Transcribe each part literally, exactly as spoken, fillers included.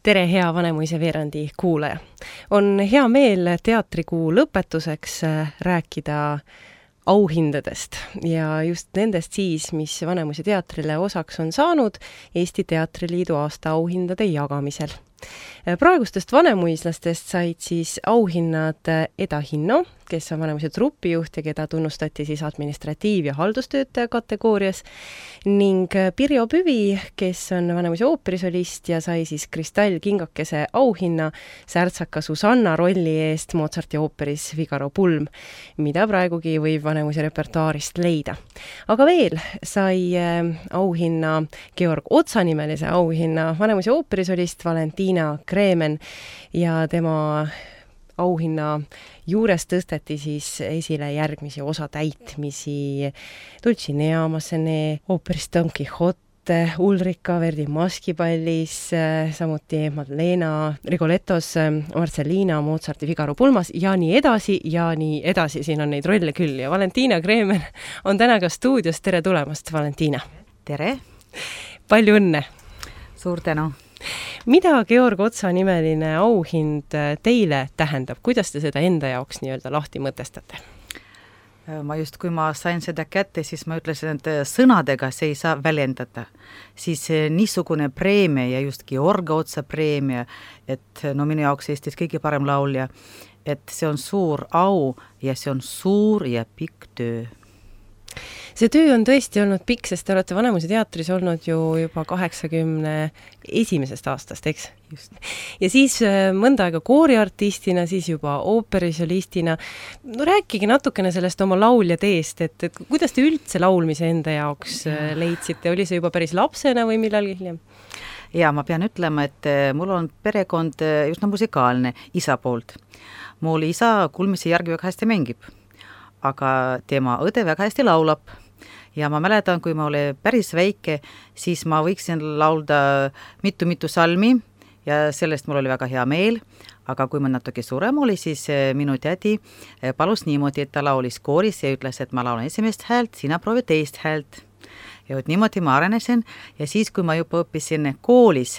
Tere, hea Vanemuise veerandi kuulaja! On hea meel teatrikuu lõpetuseks rääkida auhindadest ja just nendest siis, mis Vanemuise teatrile osaks on saanud Eesti Teatriliidu aasta auhindade jagamisel. Praegustest vanemuislastest said siis auhinnad Eda Hinno, kes on Vanemuise trupijuht ja keda tunnustati siis administratiiv- ja haldustöötaja kategoorias, ning Pirjo Püvi, kes on Vanemuise ooperisolist ja sai siis Kristall Kingakese auhinna särtsaka Susanna rolli eest Mozarti ooperis Figaro pulm, mida praegugi võib Vanemuise repertuaarist leida. Aga veel sai auhinna Georg Otsa nimelise auhinna Vanemuise ooperisolist Valentina Kreemen ja tema auhinna juures tõsteti siis esile järgmisi osatäitmisi Dulcinea Massenet ooperist Don Quixote, Ulrika Verdi Maskipallis, samuti Madlena Rigolettos, Marcellina Mozarti Figaro pulmas ja nii edasi ja nii edasi. Siin on neid rolle küll ja Valentina Kreemen on täna ka stuudios. Tere tulemast, Valentina! Tere! Palju õnne! Suur tänu! Mida Georg Otsa nimeline auhind teile tähendab? Kuidas te seda enda jaoks nii-öelda lahti mõtestate? Ma just, kui ma sain seda kätte, siis ma ütlesin, et sõnadega see ei saa väljendada. Siis niisugune preemia ja just Georg Otsa preemia, et no minu jaoks Eestis kõige parem laulja, et see on suur au ja see on suur ja pikk töö. See töö on tõesti olnud pikk, sest te olete Vanemuise teatris olnud ju juba kaheksakümne esimesest aastast, eks? Just. Ja siis mõnda aega kooriartistina, siis juba ooperisolistina. No rääkige natukene sellest oma laulja teest, et, et kuidas te üldse laulmise enda jaoks leidsite? Oli see juba päris lapsena või millalgi hiljem? Ja ma pean ütlema, et mul on perekond just no musikaalne isa poolt. Mul isa kulmise järgi väga hästi mängib, aga tema õde väga hästi laulab. Ja ma mäletan, kui ma olin päris väike, siis ma võiksin laulda mitu-mitu salmi ja sellest mul oli väga hea meel. Aga kui ma natuke suurem oli, siis minu tädi palus niimoodi, et ta laulis kooris ja ütles, et ma laulan esimest häält, sina proovi teist häält. Ja niimoodi ma arenesin ja siis, kui ma juba õppisin koolis,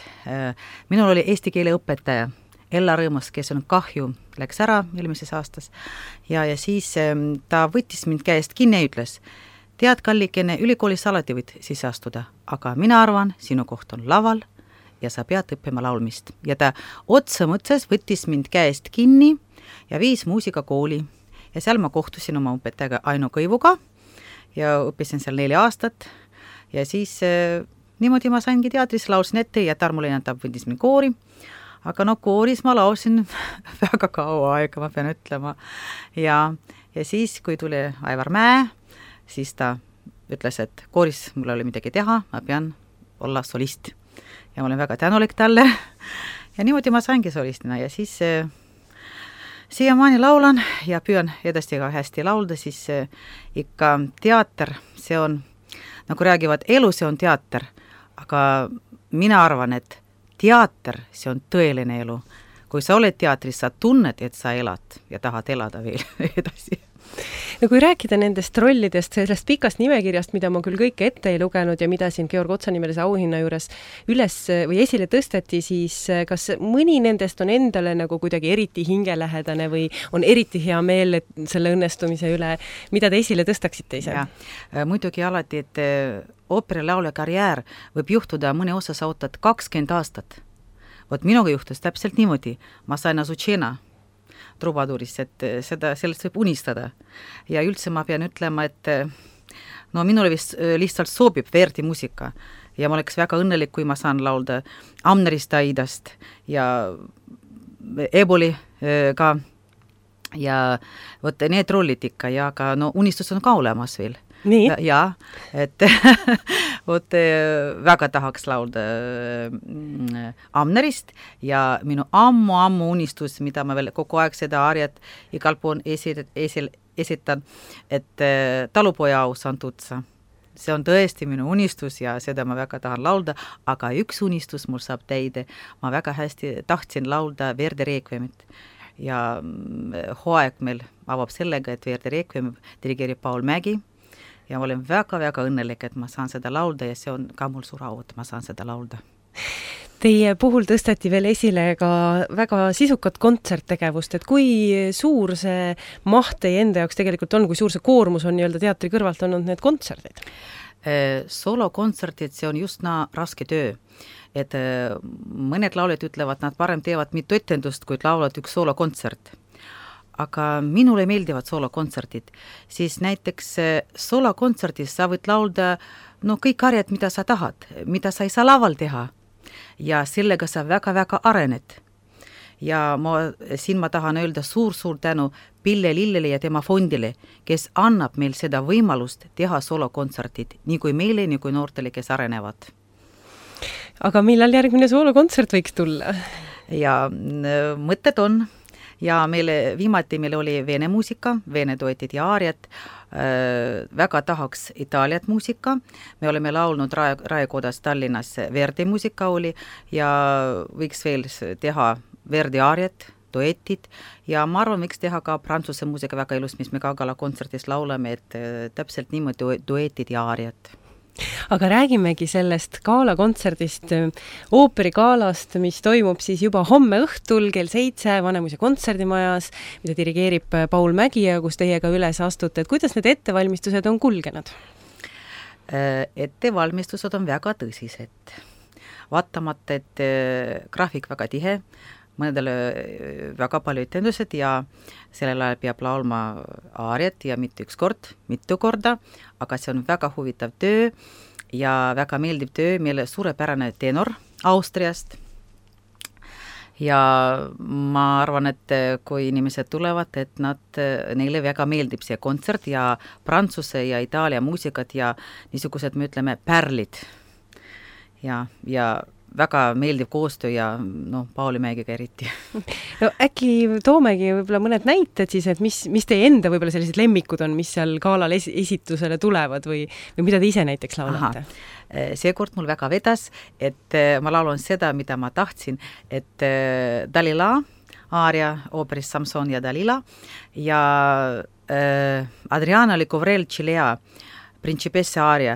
minul oli eesti keele õpetaja Ella Rõõmas, kes on kahju, läks ära eelmises aastas ja, ja siis ta võttis mind käest kinni ja ütles, tead, kallikene, ülikoolis alati võid sisse astuda, aga mina arvan, sinu koht on laval ja sa pead õppima laulmist. Ja ta otsa mõttes võttis mind käest kinni ja viis muusikakooli ja seal ma kohtusin oma õpetajaga Aino Kõivuga ja õppisin seal neli aastat ja siis eh, niimoodi ma saingi teatris, laulsin ette ja Tarmo Leenatab võttis mind koori. Aga no kooris ma laulsin väga kaua aega, ma pean ütlema. Ja, ja siis, kui tuli Aivar Mäe, siis ta ütles, et kooris mul oli midagi teha, ma pean olla solist. Ja ma olen väga tänulik talle. Ja niimoodi ma saingi solistina ja siis eh, siiamaani laulan ja püüan edasti ka hästi laulda, siis eh, ikka teater, see on, nagu räägivad, elu see on teater, aga mina arvan, et teater, see on tõeline elu. Kui sa oled teatris, sa tunned, et sa elad ja tahad elada veel edasi. No kui rääkida nendest rollidest, sellest pikast nimekirjast, mida ma küll kõike ette ei lugenud ja mida siin Georg Otsa nimelise auhinna juures üles või esile tõsteti, siis kas mõni nendest on endale nagu kuidagi eriti hingelähedane või on eriti hea meel selle õnnestumise üle, mida te esile tõstaksite ise? Ja, muidugi alati, et ooperilaulja karjäär võib juhtuda mõne osa sa ootad kakskümmend aastat. Vot minuga juhtus täpselt niimoodi. Ma sain Azucena trubaduris, et seda, sellest võib unistada. Ja üldse ma pean ütlema, et no minule vist lihtsalt sobib Verdi muusika. Ja ma oleks väga õnnelik, kui ma saan laulda Amnerist Aidast ja Eboli ka. Ja võt need rollid ikka ja ka no unistus on ka olemas veel. Nii? Ja, ja et võt, väga tahaks laulda Amnerist ja minu ammu-ammu unistus, mida ma veel kogu aeg seda ariat igal pool esil, esil, esitan, et Talupoja au Santutsa. See on tõesti minu unistus ja seda ma väga tahan laulda, aga üks unistus mul saab täide. Ma väga hästi tahtsin laulda Verdi Requiemit ja hooaeg meil avab sellega, et Verdi Requiem dirigeerib Paul Mägi. Ja ma olen väga-väga õnnelik, et ma saan seda laulda ja see on ka mul suur au, et ma saan seda laulda. Teie puhul tõsteti veel esile ka väga sisukat kontserttegevust, et kui suur see maht teie enda jaoks tegelikult on, kui suur see koormus on nii-öelda teatri kõrvalt olnud need kontserdid? Solokontserdid, see on just na raske töö. Et mõned lauljad ütlevad, nad parem teevad mitu etendust, kui laulavad üks solokontsert. Aga minule meeldivad solokontserdid, siis näiteks solokontserdis sa võid laulda no, kõik arjad, mida sa tahad, mida sa ei saa laval teha ja sellega sa väga-väga arened. Ja ma, siin ma tahan öelda suur-suur tänu Pille Lillele ja tema fondile, kes annab meil seda võimalust teha solokontserdid, nii kui meile, nii kui noortele, kes arenevad. Aga millal järgmine soolokontsert võiks tulla? Ja mõtted on. Ja meile, viimati meil oli vene muusika, vene duetid ja aariad, äh, väga tahaks Itaaliat muusika, me oleme laulnud Rae, Raekodas Tallinnas Verdi muusika oli ja võiks veel teha Verdi aariad, duetid ja ma arvan, võiks teha ka prantsuse muusika väga ilus, mis me Kagala kontserdis laulame, et äh, täpselt niimoodi duetid ja aariad. Aga räägimegi sellest Gala kontserdist, ooperigaalast, mis toimub siis juba homme õhtul kell seitse Vanemuise kontserdimajas, mida dirigeerib Paul Mägija, kus teiega üles astute. Et kuidas need ettevalmistused on kulgenud? Ettevalmistused on väga tõsised. Vaatamata, et graafik väga tihe, mõnedele väga palju etendused ja sellel ajal peab laulma aariat ja mitte üks kord, mitu korda, aga see on väga huvitav töö ja väga meeldiv töö, meile suurepärane tenor Austriast. Ja ma arvan, et kui inimesed tulevad, et nad, neile väga meeldib see kontsert ja prantsuse ja Itaalia muusikat ja niisugused, me ütleme, pärlid. Ja, ja väga meeldiv koostöö ja no, Pauli Mägiga eriti. No äkki toomegi võib-olla mõned näited siis, et mis, mis teie enda võib-olla sellised lemmikud on, mis seal Galal es- esitusele tulevad või, või mida te ise näiteks laulate? Seekord mul väga vedas, et ma laulan seda, mida ma tahtsin, et Dalila, aaria ooperis Samson ja Dalila ja Adriana Licovrel Chilea Principessa aaria.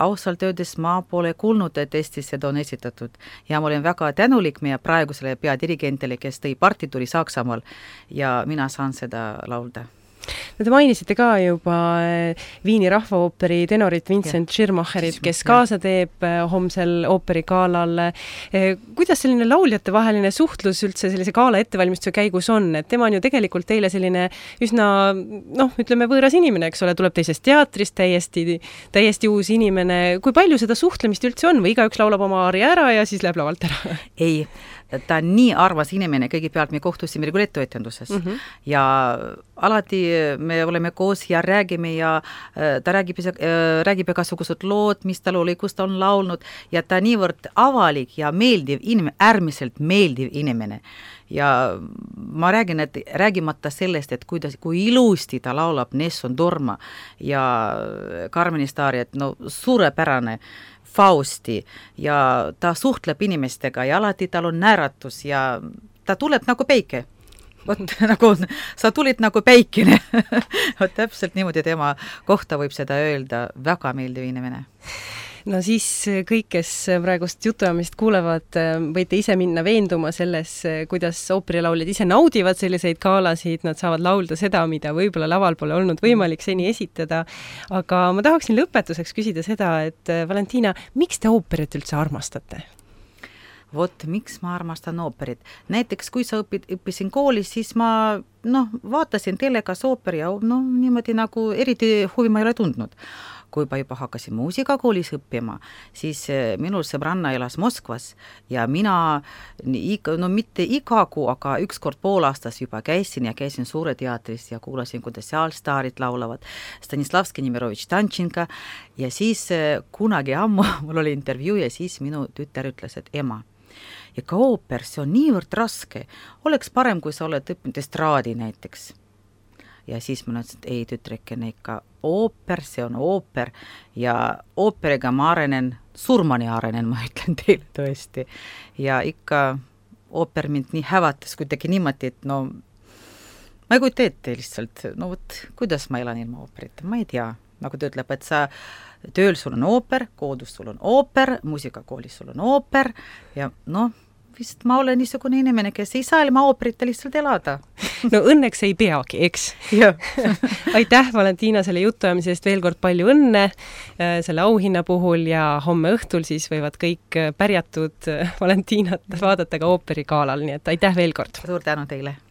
Ausalt öeldes ma pole kuulnud, et Eestis seda on esitatud. Ja ma olen väga tänulik meie praegusele peadirigentile, kes tõi partituuri Saksamaal ja mina saan seda laulda. No te mainisite ka juba Viini rahvaooperi tenorit Vincent Schirmacherit, kes kaasa teeb homsel ooperigaalal. Kuidas selline lauljate vaheline suhtlus üldse sellise gaala ettevalmistuse käigus on? Et tema on ju tegelikult teile selline üsna, noh, ütleme võõras inimene, eks ole, tuleb teisest teatrist, täiesti, täiesti uus inimene. Kui palju seda suhtlemist üldse on või igaüks laulab oma aaria ära ja siis läheb lavalt ära? Ei, ta on nii arvas inimene, kõigepealt me kohtusime Rigoletto etenduses mm -hmm. ja alati me oleme koos ja räägime ja ta räägib, räägib igasugused lood, mis tal oli, kus ta on laulnud ja ta niivõrd avalik ja meeldiv inimene, äärmiselt meeldiv inimene. Ja ma räägin, et räägimata sellest, et kuidas, kui ilusti ta laulab Nessun Dorma ja Carmen Istariat, no suurepärane Fausti ja ta suhtleb inimestega ja alati tal on nääratus ja ta tuleb nagu päike. Vot, nagu, sa tulid nagu päikene. Vot, täpselt niimoodi tema kohta võib seda öelda, väga meeldiv inimene. No siis kõik, kes praegust jutuamist kuulevad, võite ise minna veenduma selles, kuidas ooperilauljad ise naudivad selliseid gaalasid, nad saavad laulda seda, mida võib-olla laval pole olnud võimalik seni esitada. Aga ma tahaksin lõpetuseks küsida seda, et Valentina, miks te ooperit üldse armastate? Vot, miks ma armastan ooperit? Näiteks, kui sa õpid, õppisin koolis, siis ma no, vaatasin telekas ooperi ja no, niimoodi nagu eriti huvi ma ei ole tundnud. Kui ma juba hakkasin muusikakoolis õppima, siis minul sõbranna elas Moskvas ja mina, no mitte iga kuu, aga üks kord pool aastas juba käisin ja käisin Suure teatris ja kuulasin, kuidas seal staarid laulavad. Stanislavski Nemirovitš Tanchenka ja siis kunagi ammu mul oli intervjuu ja siis minu tütar ütles, et ema, ega ooper, see on niivõrd raske, oleks parem, kui sa oled õppinud estraadi näiteks. Ja siis ma ütlesin, et ei tütrekene ikka ooper, see on ooper ja ooperiga ma arenen, surmani arenen, ma ütlen teile tõesti. Ja ikka ooper mind nii hävatas kuidagi niimoodi, et no ma ei kujuta ette lihtsalt, no vot, kuidas ma elan ilma ooperita, ma ei tea. Nagu ta ütleb, et sa tööl sul on ooper, koodus sul on ooper, muusikakoolis sul on ooper ja noh, vist ma olen niisugune inimene, kes ei saa ilma ooperita lihtsalt elada. No õnneks ei peagi, eks? Aitäh, Valentina, selle jutuajamise eest veel kord palju õnne selle auhinna puhul ja homme õhtul siis võivad kõik pärjatud Valentinat vaadata ka ooperikaalal, nii et aitäh veel kord! Suur tänu teile!